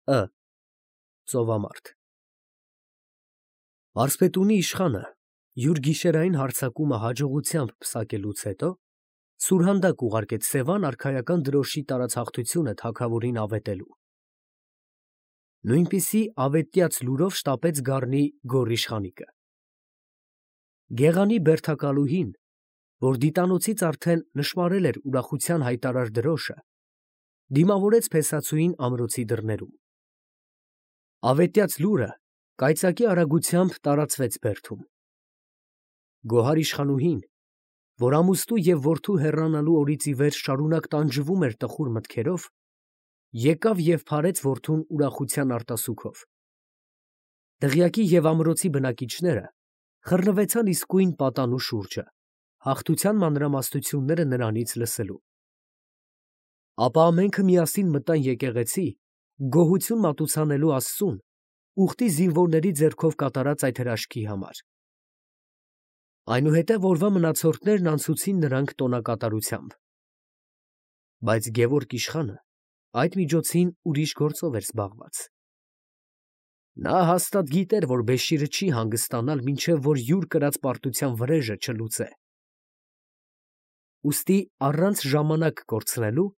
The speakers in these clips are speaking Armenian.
Ը. Ծովամարտ։ Մարզպետունի իշխանը յուր գիշերային հարձակումը հաջողությամբ պսակելուց հետո սուրհանդակ ուղարկեց Սևան արքայական դրոշի տարածախտությունը թագավորին ավետելու։ Նույնպիսի ավետյաց լուրով շտապեց գառնի գոռիշխանիկը։ Գեղանի բերդակալուհին, որ դիտանոցից արդեն նշմարել էր ուրախության հայտարար դրոշը, դիմավորեց փեսացուին ամրոցի դռներում։ Ավետյաց լուրը կայծակի արագությամբ տարածվեց բերդում։ Գոհար իշխանուհին, որ ամուստու և որդու հեռանալու օրից ի վեր շարունակ տանջվում էր տխուր մտքերով, եկավ և փարեց որդուն ուրախության արտասուքով։ Դղյակի և ամրոցի բնակիչները խռնվեցան իսկույն պատանու շուրջը, հաղթության մանրամասնությունները նրանից լսելու։ Ապա ամենքը միասին մտան եկեղեցի, գոհություն մատուցանելու Աստծուն, ուխտի զինվորների ձեռքով կատարած այդ հրաշքի համար։ Այնուհետև օրվա մնացորդներն անցուցին նրանք տոնակատարությամբ։ Բայց Գևորգ իշխանը այդ միջոցին ուրիշ գործով էր զբաղված։ Նա հաստատ գիտեր, որ Բեշիրը չի հանգստանալ, մինչև որ յուր կրած պարտության վրեժը չլուծե։ Ուստի առանց ժամանակ կորցնելու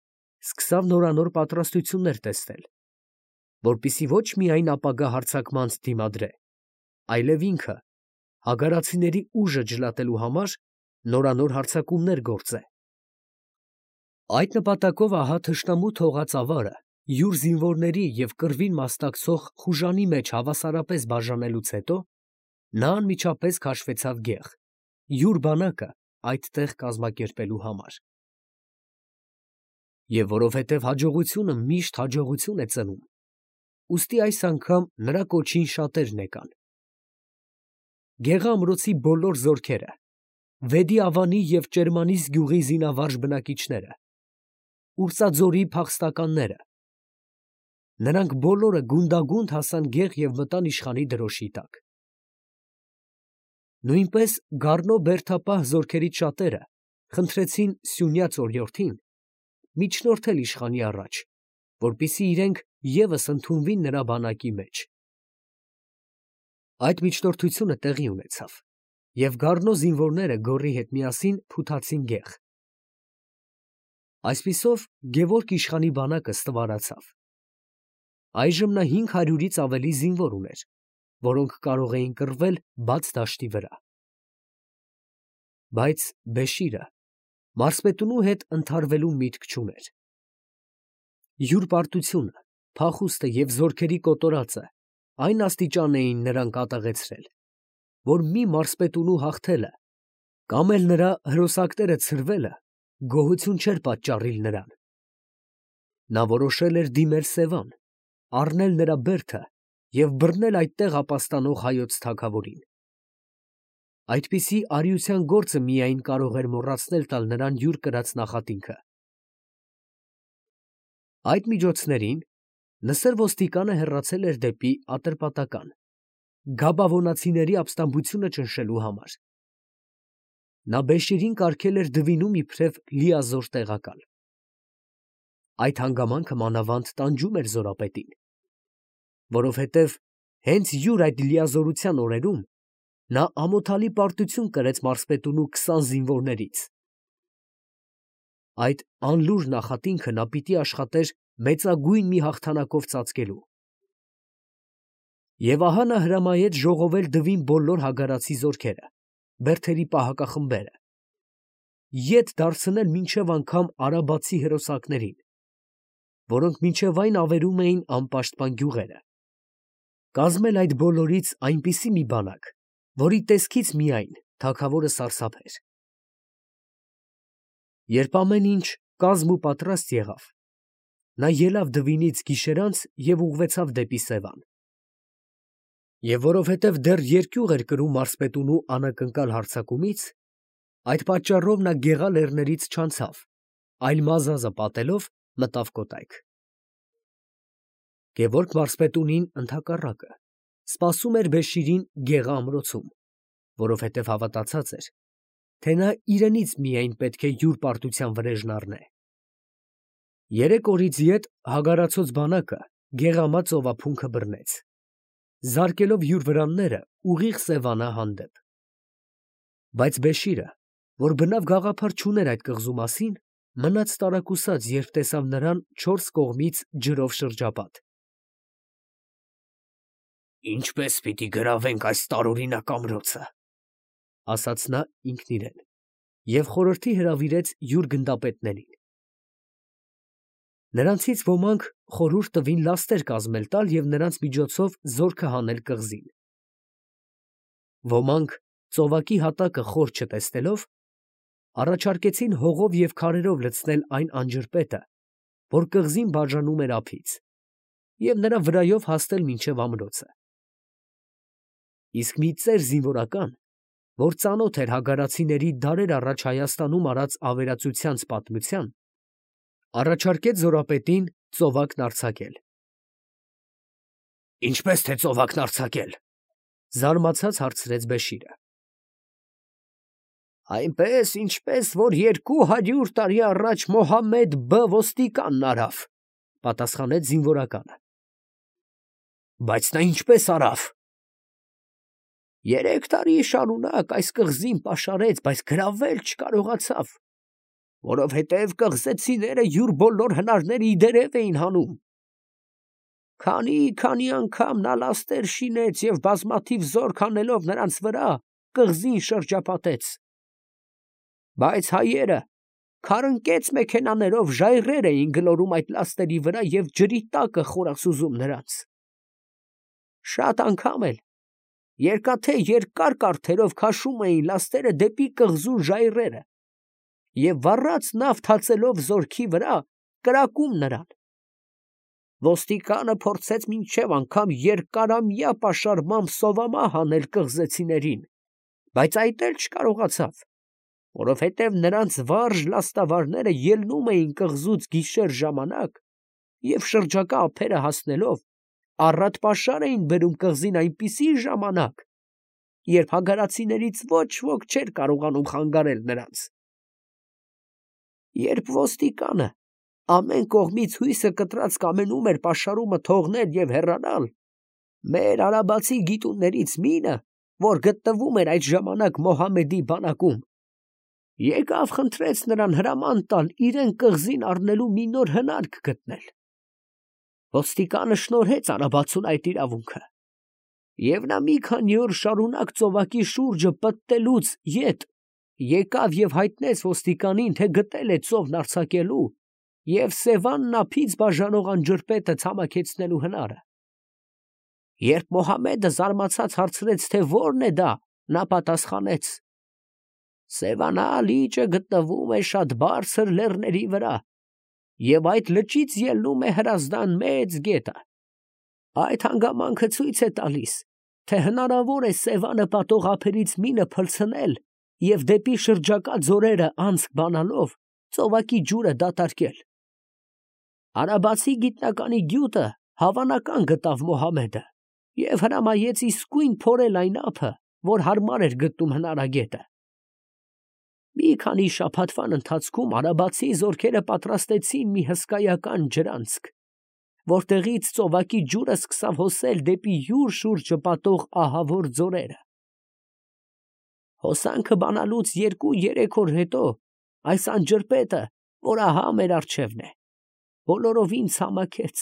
սկսավ նորանոր պատրաստություններ տեսնել, որպեսզի ոչ միայն ապագա հարձակմանց դիմադրե, այլև ինքը հագարացիների ուժը ջլատելու համար նորանոր հարձակումներ գործե։ Այդ նպատակով ահա թշնամու թողած ավարը յուր զինվորների և կռվին մասնակցող խուժանի մեջ հավասարապես բաժանելուց հետո նա անմիջապես քաշվեցավ գեղ, յուր բանակը այդտեղ կազմակերպելու համար։ Եվ որովհետև հաջողությունը միշտ հաջողություն է ծնում, ուստի այս անգամ նրա կոչին շատերն եկան։ Գեղը ամրոցի բոլոր զորքերը, Վեդի ավանի և Ճերմանիս գյուղի զինավարժ բնակիչները, Ուրྩաձորի փախստականները, նրանք բոլորը գունդագունդ հասան գեղ և մտան իշխանի դրոշի տակ։ Նույնպես գառնո բերդապահ զորքերից շատերը խնդրեցին Սյունյաց օրիորդին միջնորդել իշխանի առաջ, որպեսզի իրենք ևս ընդունվին նրա բանակի մեջ։ Այդ միջնորդությունը տեղի ունեցավ, և գառնո զինվորները գոռի հետ միասին փութացին գեղ։ Այսպիսով Գևորգ իշխանի բանակը ստվարացավ։ Այժմ նա 500-ից ավելի զինվոր ուներ, որոնք կարող էին կռվել բաց դաշտի վրա։ Բայց Բեշիրը մարզպետունու հետ ընդհարվելու միտք չուներ։ Յուր պարտությունը, փախուստը և զորքերի կոտորածը այն աստիճան էին նրան կատաղեցրել, որ մի մարզպետունու հաղթելը կամ էլ նրա հրոսակները ցրվելը գոհություն չէր պատճառիլ նրան։ Նա որոշել էր դիմել Սևան, առնել նրա բերդը և բռնել այդտեղ ապաստանող հայոց թագավորին։ Այդպիսի արիության գործը միայն կարող էր մոռացնել տալ նրան յուր կրած նախատինքը։ Այդ միջոցներին Նսեր ոստիկանը հեռացել էր դեպի Ատրպատական, գաբավոնացիների ապստամբությունը ճնշելու համար։ Նա Բեշիրին կարգել էր Դվինում իբրև լիազոր տեղակալ։ Այդ հանգամանքը մանավանդ տանջում էր զորապետին, որովհետև հենց յուր այդ լիազորության օրերում նա ամոթալի պարտություն կրեց մարզպետունու 20 զինվորներից։ Այդ անլուր նախատինքը նա պիտի աշխատեր մեծագույն մի հաղթանակով ծածկելու։ Եվ ահա նա հրամայեց ժողովել Դվին բոլոր հագարացի զորքերը, բերդերի պահակախմբերը, ետ դարձնել մինչև անգամ արաբացի հրոսակներին, որոնք մինչև այն ավերում էին անպաշտպան գյուղերը, կազմել այդ բոլորից այնպիսի մի բանակ, որի տեսքից միայն թագավորը սարսափեր։ Երբ ամեն ինչ կազմ ու պատրաստ եղավ, նա ելավ Դվինից գիշերանց և ուղղվեցավ դեպի Սևան։ Եվ որովհետև դեռ երկյուղ էր կրում մարզպետունու անակնկալ հարձակումից, այդ պատճառով նա գեղա լեռներից չանցավ, այլ մազազը պատելով մտավ կոտայք։ Գևորգ մարզպետունին ընդհակառակը սպասում էր Բեշիրին գեղա ամրոցում, որովհետև հավատացած էր, թե նա իրենից միայն պետք է յուր պարտության վրեժն առնե։ 3 օրից ետ հագարացած բանակը գեղամա ծովափունքը բռնեց, զարկելով յուր վրանները ուղիղ Սևանա հանդեպ։ Բայց Բեշիրը, որ բնավ գաղափար չուներ այդ կղզու մասին, մնաց տարակուսած, երբ տեսավ նրան չորս կողմից ջրով շրջապատ։ «Ինչպե՞ս պիտի գրավենք այս տարօրինակ ամրոցը», ֊ ասաց նա ինքն իրեն, և խորհրդի հրավիրեց յուր գնդապետներին։ Նրանցից ոմանք խորհուրդ տվին լաստեր կազմել տալ և նրանց միջոցով զորքը հանել կղզին։ Ոմանք, ծովակի հատակը խոր չտեսնելով, առաջարկեցին հողով և քարերով լցնել այն անջրպետը, որ կղզին բաժանում էր ափից, և նրա վրայով հասնել մինչև ամրոցը։ Իսկ մի ծեր զինվորական, որ ծանոթ էր հագարացիների դարեր առաջ Հայաստանում արած ավերածությանց պատմության, առաջարկեց զորապետին ծովակն արձակել։ «Ինչպե՞ս թե ծովակն արձակել», ֊ զարմացած հարցրեց Բեշիրը։ «Այնպես, ինչպես որ 200 տարի առաջ Մոհամմեդ Բ. ոստիկանն արավ, ֊ պատասխանեց զինվորականը։ ֊ Բայց նա ինչպե՞ս արավ։ ֊ 3 տարի շարունակ այս կղզին պաշարեց, բայց գրավել չկարողացավ, որովհետև կղզեցիները յուր բոլոր հնարները ի դերև էին հանում։ Քանի անգամ նա լաստեր շինեց և բազմաթիվ զորք հանելով նրանց վրա, կղզին շրջապատեց։ Բայց հայերը քարընկեց մեքենաներով ժայռեր էին գլորում այդ լաստերի վրա և ջրի տակը խորասուզում նրանց։ Շատ անգամ էլ երկաթե երկար կառթերով քաշում էին լաստերը դեպի կղզու ժայռերը և վառած նավ թացելով զորքի վրա, կրակում նրան։ Ոստիկանը փորձեց մինչև անգամ երկարամյա պաշարմամբ սովամահ անել կղզեցիներին, բայց այդ էլ չկարողացավ, որովհետև նրանց վարժ լաստավարները ելնում էին կղզուց գիշեր ժամանակ և շրջակա ափերը հասնելով, առատ պաշար էին բերում կղզին այնպիսի ժամանակ, երբ հագարացիներից ոչ ոք չէր կարողանում խանգարել նրանց։ Երբ ոստիկանը ամեն կողմից հույսը կտրած կամենում էր պաշարումը թողնել և հեռանալ, մեր արաբացի գիտուններից մինը, որ գտնվում էր այդ ժամանակ Մոհամմեդի բանակում, եկավ խնդրեց նրան հրաման տալ իրեն կղզին առնելու մի նոր հնարք գտնել։ Ոստիկանը շնորհեց արաբացուն այդ իրավունքը, և նա մի քանի օր շարունակ ծովակի շուրջը պտտելուց ետ եկավ և հայտնեց ոստիկանին, թե գտել է ծովն արձակելու և Սևանն ափից բաժանող անջրպետը ցամաքեցնելու հնարը։ Երբ Մոհամմեդը զարմացած հարցրեց, թե ո՞րն է դա, նա պատասխանեց. «Սևանա լիճը գտնվում է շատ բարձր լեռների վրա, և այդ լճից ելնում է Հրազդան մեծ գետը։ Այդ հանգամանքը ցույց է տալիս, թե հնարավոր է Սևանը պատող ափերից մինը փլցնել և դեպի շրջակա ձորերը անցք բանալով ծովակի ջուրը դատարկել։ Արաբացի գիտնականի գյուտը հավանական գտավ Մոհամմեդը և հրամայեց իսկույն փորել այն ափը, որ հարմար էր գտնում հնարագետը։ Մի քանի շաբաթվան ընթացքում արաբացի զորքերը պատրաստեցին մի հսկայական ջրանցք, որտեղից ծովակի ջուրը սկսավ հոսել դեպի յուր շուրջը պատող ահավոր ձորերը։ Հոսանքը բանալուց 2-3 օր հետո այս անջրպետը, որ ահա մեր առջևն է, բոլորովին ցամաքեց,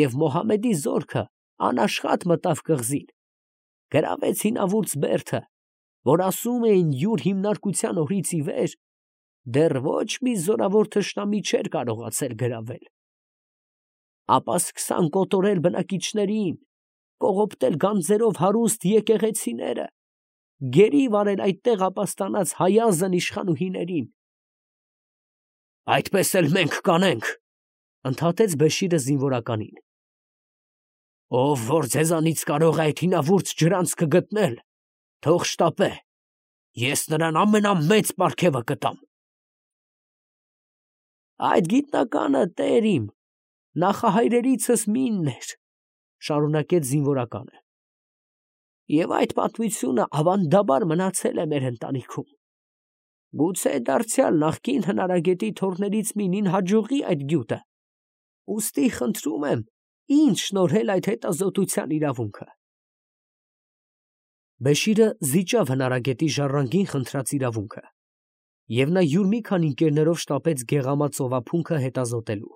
և Մոհամմեդի զորքը անաշխատ մտավ կղզին, գրավեց հինավուրց բերդը, որ ասում էին յուր հիմնարկության օրից ի վեր դեռ ոչ մի զորավոր թշնամի չէր կարողացել գրավել։ Ապա սկսան կոտորել բնակիչներին, կողոպտել գանձերով հարուստ եկեղեցիները, գերի վարել այդտեղ ապաստանած հայազն իշխանուհիներին։ «Այդպես էլ մենք կանենք, ֊ ընդհատեց Բեշիրը զինվորականին։ ֊ Ով որ ձեզանից կարող է այդ հինավուրց ջրանցքը գտնել, թող շտապե, ես նրան ամենամեծ պարգևը կտամ։ ֊ Այդ գիտնականը, տեր իմ, նախահայրերիցս մինն էր, ֊ շարունակեց զինվորականը, ֊ և այդ պատմությունը ավանդաբար մնացել է մեր ընտանիքում։ Գուցե դարձյալ նախկին հնարագետի թոռներից մինին հաջողի այդ գյուտը, ուստի խնդրում եմ, Ինչ շնորհել այդ հետազոտության իրավունքը։ Բեշիրը զիջավ հնարագետի ժառանգին խնդրած իրավունքը, և նա յուր մի քանի ընկերներով շտապեց գեղամա ծովափունքը հետազոտելու։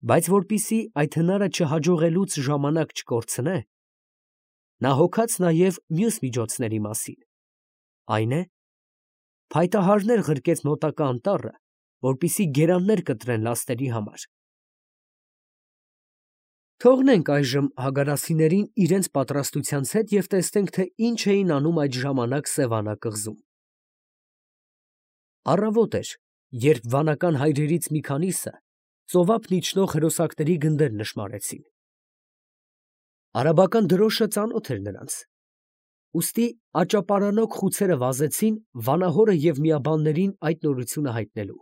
Բայց որպեսզի այդ հնարը չհաջողելուց ժամանակ չկորցնե, նա հոգաց նաև մյուս միջոցների մասին, այն է, փայտահարներ ղրկեց մոտակա անտառը, որպեսզի գերաններ կտրեն լաստերի համար։ Թողնենք այժմ հագարասիներին իրենց պատրաստությանց հետ և տեսնենք, թե ինչ էին անում այդ ժամանակ Սևանա կղզում։ Առավոտ էր, երբ վանական հայրերից մի քանիսը ծովափն իջնող հրոսակների գնդեր նշմարեցին։ Արաբական դրոշը ծանոթ էր նրանց, ուստի աճապարանոք խուցերը վազեցին վանահորը և միաբաններին այդ նորությունը հայտնելու։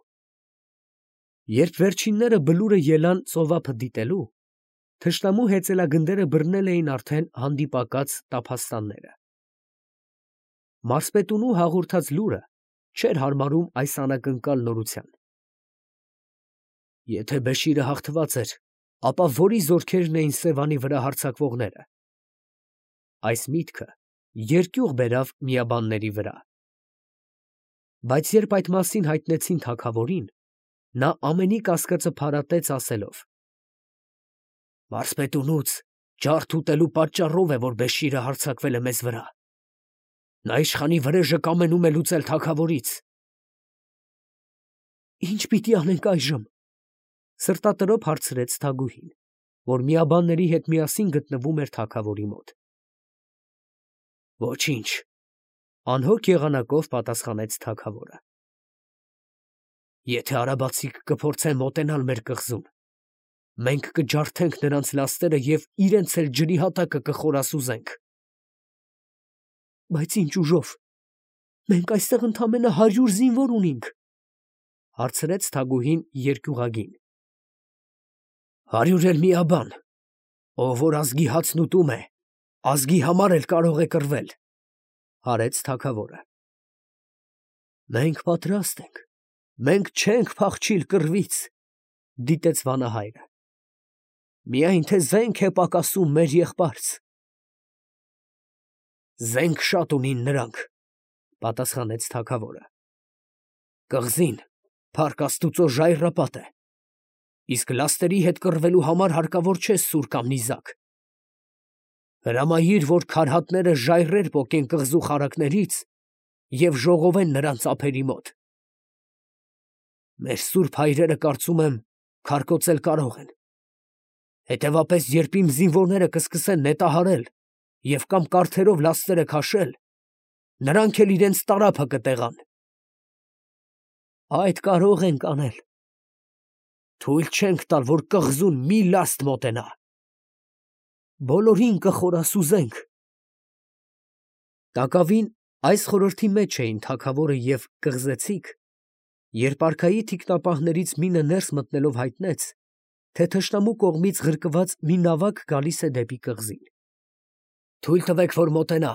Երբ վերջինները բլուրը ելան ծովափը դիտելու, թշնամու հեծելագնդերը բռնել էին արդեն հանդիպակաց տափաստանները։ Մարսպետունու հաղորդած լուրը չէր հարմարում այս անակնկալ նորության։ Եթե Բեշիրը հաղթված էր, ապա որի զորքերն էին Սևանի վրա հարձակվողները։ Այս միտքը երկյուղ բերավ միաբանների վրա։ Բայց երբ այդ մասին հայտնեցին թագավորին, նա ամենի կասկածը փարատեց ասելով. «Մարսպետունուց ջարդ ուտելու պատճառով է, որ Բեշիրը հարձակվել է մեզ վրա։ Նա իշխանի վրեժը կամենում է լուծել թագավորից»։ «Ի՞նչ պիտի անենք այժմ», սրտատրոփ հարցրեց Թագուհին, որ միաբանների հետ միասին գտնվում էր թագավորի մոտ։ «Ոչինչ», անհոգ եղանակով պատասխանեց թագավորը։ «Եթե արաբացիք կփորձեն մոտենալ մեր կղզուն, մենք կջարդենք նրանց լաստերը և իրենց էլ ջրի հատակը կխորասուզենք»։ «Բայց ի՞նչ ուժով, մենք այստեղ ընդամենը 100 զինվոր ունենք», հարցրեց Թագուհին երկյուղագին։ «100 էլ միաբան, ով որ ազգի հացն ուտում է, ազգի համար էլ կարող է կռվել», հարեց թագավորը։ «Մենք պատրաստ ենք, մենք չենք փախչիլ կռվից», դիտեց վանահայրը։ «Միայն թե զենք է պակասում մեր եղբարց»։ «Զենք շատ ունին նրանք», պատասխանեց թագավորը։ «Կղզին, փառք Աստուծո, ժայռապատ է, իսկ լաստերի հետ կռվելու համար հարկավոր չէ սուր կամ նիզակ։ Հրամայիր, որ քարհատները ժայռեր պոկեն կղզու խարակներից և ժողովեն նրանց ափերի մոտ։ Մեր սուրբ հայրերը, կարծում եմ, քարկոծել կարող են։ Հետևապես, երբ իմ զինվորները կսկսեն նետահարել և կամ կարթերով լաստերը քաշել, նրանք էլ իրենց տարափը կտեղան»։ «Այդ կարող ենք անել»։ «Թույլ չենք տալ, որ կղզուն մի լաստ մոտենա»։ «Բոլորին կխորասուզենք»։ Տակավին այս խորհրդի մեջ էին թագավորը և կղզեցիք, երբ արքայի թիկնապահներից մինը ներս մտնելով հայտնեց, թե թշնամու կողմից ղրկված մի նավակ գալիս է դեպի կղզին։ «Թույլ տվեք, որ մոտենա,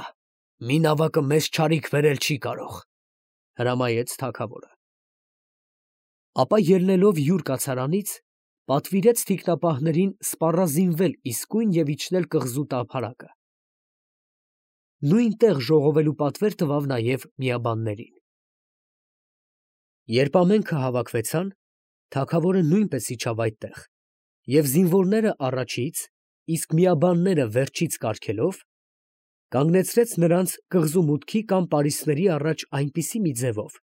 մի նավակը մեզ չարիք բերել չի կարող», հրամայեց թագավորը։ Ապա ելնելով յուր կացարանից, պատվիրեց թիկնապահներին սպառազինվել իսկույն և իջնել կղզու տափարակը։ Նույն տեղ ժողովելու պատվեր տվավ նաև միաբաններին։ Երբ ամենքը հավաքվեցան, թագավորը նույնպես իջավ այդտեղ և զինվորները առաջից, իսկ միաբանները վերջից կարգելով, կանգնեցրեց նրանց կղզու մուտքի կամ պարիսպների առաջ այնպիսի մի ձևով,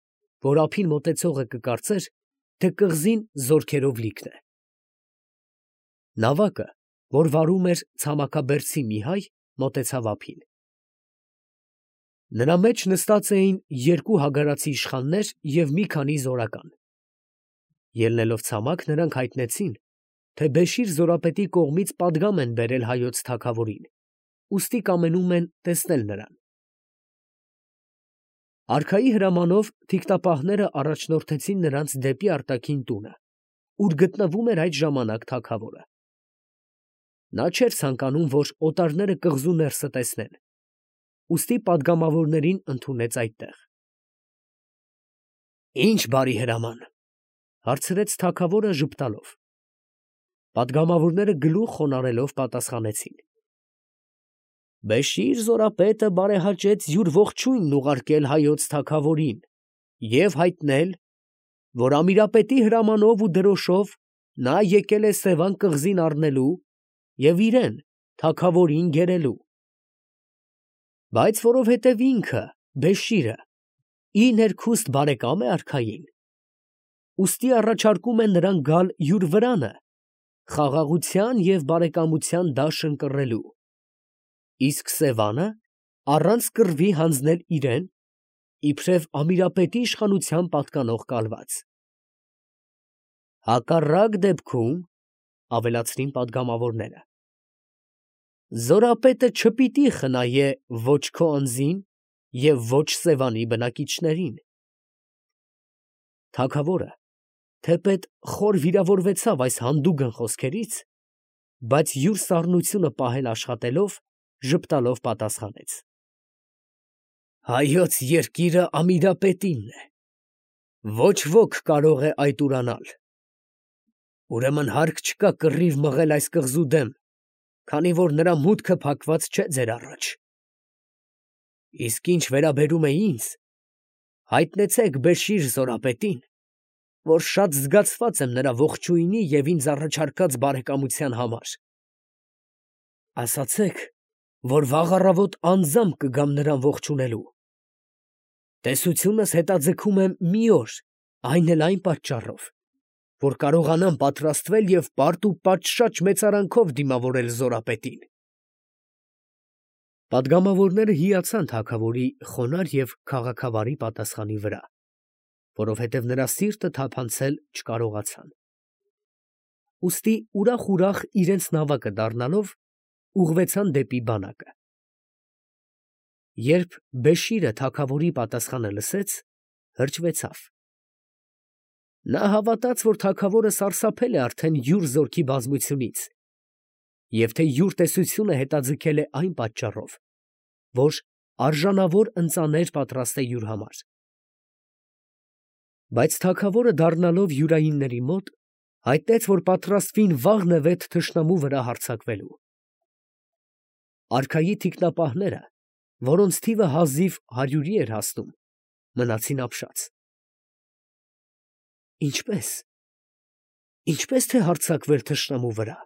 որ ափին մոտեցողը կկարծեր, թե կղզին զորքերով լիքն է։ Նավակը, որ վարում էր ցամաքաբերդցի մի հայ, մոտեցավ ափին։ Նրա մեջ նստած էին 2 հագարացի իշխաններ և մի քանի զորական։ Ելնելով ցամաք, նրանք հայտնեցին, թե Բեշիր զորապետի կողմից պատգամ են բերել հայոց թագավորին, ուստի կամենում են տեսնել նրան։ Արքայի հրամանով թիկնապահները առաջնորդեցին նրանց դեպի արտաքին տունը, ուր գտնվում էր այդ ժամանակ թագավորը։ Նա չէր ցանկանում, որ օտարները կղզու ներսը տեսնեն, ուստի պատգամավորներին ընդունեց այդտեղ։ «Ի՞նչ բարի հրաման», հարցրեց թագավորը ժպտալով։ Պատգամավորները գլուխ խոնարհելով պատասխանեցին. Բեշիր զորապետը բարեհաճեց յուր ողջույնն ուղարկել հայոց թագավորին և հայտնել, որ Ամիրապետի հրամանով ու դրոշով նա եկել է Սևան կղզին առնելու և իրեն թագավորին գերելու, բայց որովհետև ինքը Բեշիրը ի ներքուստ բարեկամ է արքային, ուստի առաջարկում է նրան գալ յուր վրանը խաղաղության և բարեկամության դաշն կռելու, իսկ Սևանը առանց կռվի հանձնել իրեն, իբրև Ամիրապետի իշխանության պատկանող կալված։ Հակառակ դեպքում, ավելացրին պատգամավորները, զորապետը չպիտի խնայե ոչ քո անձին և ոչ Սևանի բնակիչներին։ Թագավորը թեպետ խոր վիրավորվեցավ այս հանդուգն խոսքերից, բայց յուր սառնությունը պահել աշխատելով, ժպտալով պատասխանեց. Հայոց երկիրը Ամիրապետինն է, ոչ ոք կարող է այդ ուրանալ, ուրեմն հարկ չկա կռիվ մղել այս կղզու դեմ, քանի որ նրա մուտքը փակված չէ ձեր առաջ։ Իսկ ինչ վերաբերում է ինձ, հայտնեցեք Բեշիր զորապետին, որ շատ զգացված եմ նրա ողջույնի և ինձ առաջարկած բարեկամության համար։ Ասացեք, որ վաղ առավոտ անձամբ կգամ նրան ողջունելու։ Տեսությունս հետաձգում եմ մի օր, այն էլ այն պատճառով, որ կարողանամ պատրաստվել և պարտ ու պատշաճ մեծարանքով դիմավորել զորապետին։ Պատգամավորները հիացան թագավորի խոնարհ և քաղաքավարի պատասխանի վրա, որովհետև նրա սիրտը թափանցել չկարողացան։ Ուստի ուրախ իրենց նավակը դառնալով ուղղվեցան դեպի բանակը։ Երբ Բեշիրը թագավորի պատասխանը լսեց, հրճվեցավ։ Նա հավատաց, որ թագավորը սարսափել է արդեն յուր զորքի բազմությունից և թե յուր տեսությունը հետաձգել է այն պատճառով, որ արժանավոր ընծաներ պատրաստե յուր համար։ Բայց թագավորը դառնալով յուրայինների մոտ, հայտնեց, որ պատրաստվին վաղ նվետ թշնամու վրա հարձակվելու։ Արքայի թիկնապահները, որոնց թիվը հազիվ 100-ի էր հասնում, մնացին ապշած։ Ինչպե՞ս թե հարձակվել թշնամու վրա։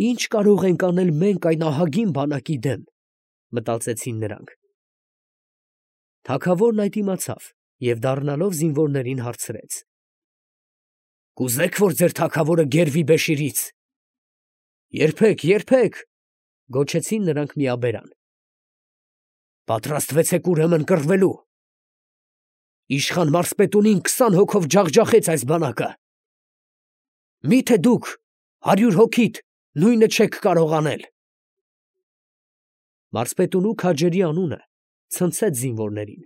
Ի՞նչ կարող ենք անել մենք այն ահագին բանակի դեմ, մտածեցին նրանք։ Թագավորն այդ իմացավ և դառնալով զինվորներին հարցրեց. Կուզե՞ք, որ ձեր թագավորը գերվի Բեշիրից։ Երբեք, գոչեցին նրանք միաբերան։ Պատրաստվեցեք ուրեմն կռվելու։ Իշխան մարզպետունին 20 հոգով ջախջախեց այս բանակը։ Մի՞թե դուք 100 հոգիդ նույնը չեք կարող անել։ Մարզպետունու քաջերի անունը ցնցեց զինվորներին։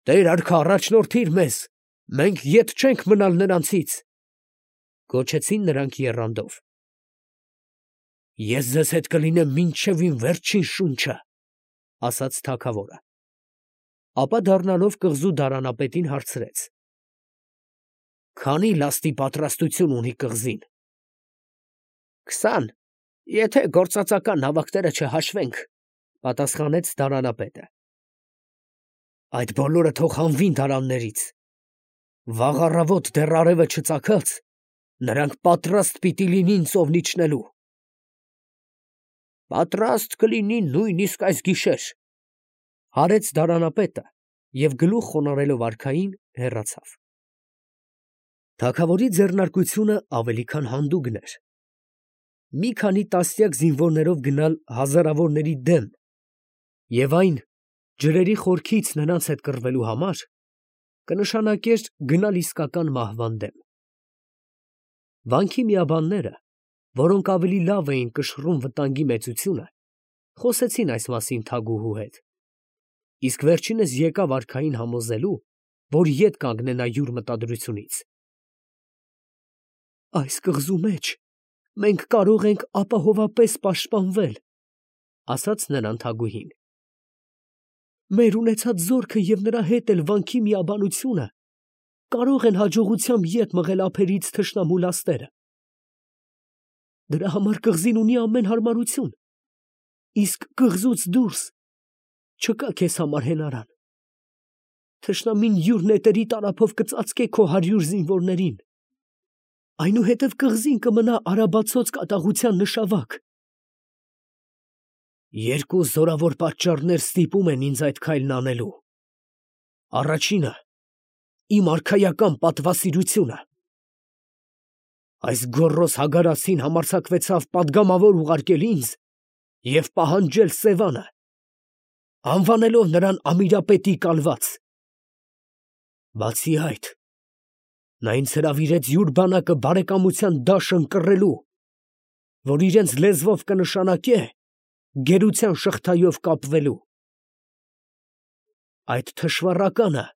Տեր արքա, առաջնորդիր մեզ, մենք ետ չենք մնալ նրանցից, գոչեցին նրանք եռանդով։ Ես ձեզ հետ կլինեմ մինչև իմ վերջին շունչը, ասաց թագավորը։ Ապա դառնալով կղզու դարանապետին հարցրեց. Քանի լաստի պատրաստություն ունի կղզին։ 20, եթե գործածական նավակները չհաշվենք, պատասխանեց դարանապետը։ Այդ բոլորը թող հանվին դարաններից։ Վաղ առավոտ դեռ արևը չծագած, նրանք պատրաստ պիտի լինին ծովն իջնելու։ Պատրաստ կլինին նույնիսկ այս գիշեր, հարեց դարանապետը և գլուխ խոնարհելով արքային հեռացավ։ Թագավորի ձեռնարկությունը ավելի քան հանդուգն էր։ Մի քանի տասնյակ զինվորներով գնալ հազարավորների դեմ և այն ջրերի խորքից նրանց հետ կռվելու համար կնշանակեր գնալ իսկական մահվան դեմ։ Վանքի միաբանները, որոնք ավելի լավ էին կշռում վտանգի մեծությունը, խոսեցին այս մասին թագուհու հետ, իսկ վերջինս եկավ արքային համոզելու, որ ետ կանգնենա յուր մտադրությունից։ Այս կղզու մեջ մենք կարող ենք ապահովապես պաշտպանվել, ասաց նրան թագուհին։ Մեր ունեցած զորքը և նրա հետ էլ վանքի միաբանությունը կարող են հաջողությամբ ետ մղել ափերից թշնամու լաստերը։ Դրա համար կղզին ունի ամեն հարմարություն, իսկ կղզուց դուրս չկա քեզ համար հենարան։ Թշնամին յուր նետերի տարափով կծածկե քո 100 զինվորներին, այնուհետև կղզին կմնա արաբացոց կատաղության նշավակ։ Երկու զորավոր պատճառներ ստիպում են ինձ այդ քայլն անելու։ Առաջինը իմ արքայական պատվասիրությունը։ Այս գոռոզ հագարացին համարձակվեցավ պատգամավոր ուղարկել ինձ և պահանջել Սևանը, անվանելով նրան ամիրապետի կալված։ Բացի այդ, նա ինձ հրավիրեց յուր բանակը բարեկամության դաշն կռելու, որ իրենց լեզվով կնշանակե գերության շղթայով կապվելու։ Այդ թշվառականը,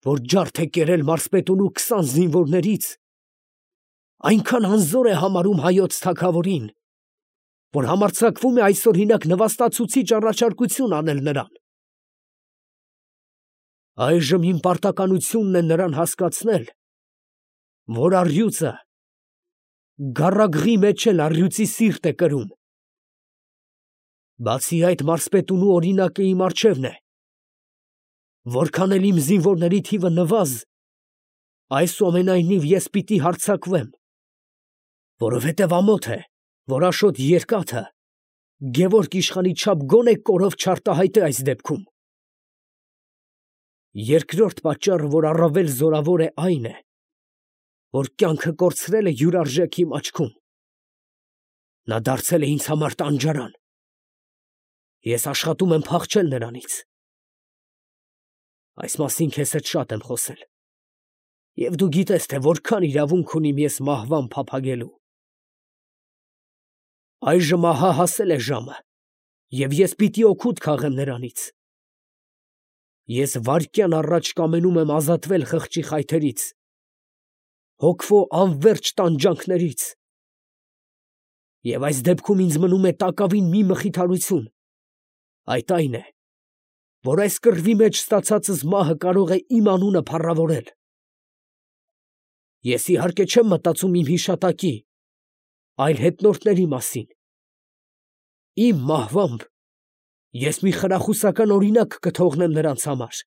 որ ջարդ է կերել մարզպետունու 20 զինվորներից, այնքան անզոր է համարում հայոց թագավորին, որ համարձակվում է այսօրինակ նվաստացուցիչ առաջարկություն անել նրան։ Այժմ իմ պարտականությունն է նրան հասկացնել, որ առյուծը գառագրի մեջ էլ առյուծի սիրտ է կրում։ Բացի այդ, մարզպետունու օրինակը իմ առջևն է, որքան էլ իմ զինվորների թիվը նվազ, այսուամենայնիվ ես պիտի հարձակվեմ, որովհետև ամոթ է, որ Աշոտ Երկաթը Գևորգ իշխանի չափ գոնե կորով չարտահայտե այս դեպքում։ Երկրորդ պատճառը, որ առավել զորավոր է, այն է, որ կյանքը կորցրել է յուրարժեք իմ աչքում։ Նա դարձել է ինձ համար տանջարան։ Ես աշխատում եմ փախչել նրանից։ Այս մասին քեզ հետ շատ եմ խոսել, և դու գիտես, թե որքան իրավունք ունիմ ես մահվան փափագելու։ Այժմ ահա հասել է ժամը, և ես պիտի օգուտ քաղեմ նրանից։ Ես վայրկյան առաջ կամենում եմ ազատվել խղճի խայթերից, հոգվո անվերջ տանջանքներից։ Եվ այս դեպքում ինձ մնում է տակավին մի մխիթարություն, այդ այն է, որ այս կռվի մեջ ստացածս մահը կարող է իմ անունը փառավորել։ Ես իհարկե չեմ մտածում իմ հիշատակի, այլ հետնորդների մասին։ Իմ մահվամբ ես մի խրախուսական օրինակ կթողնեմ նրանց համար։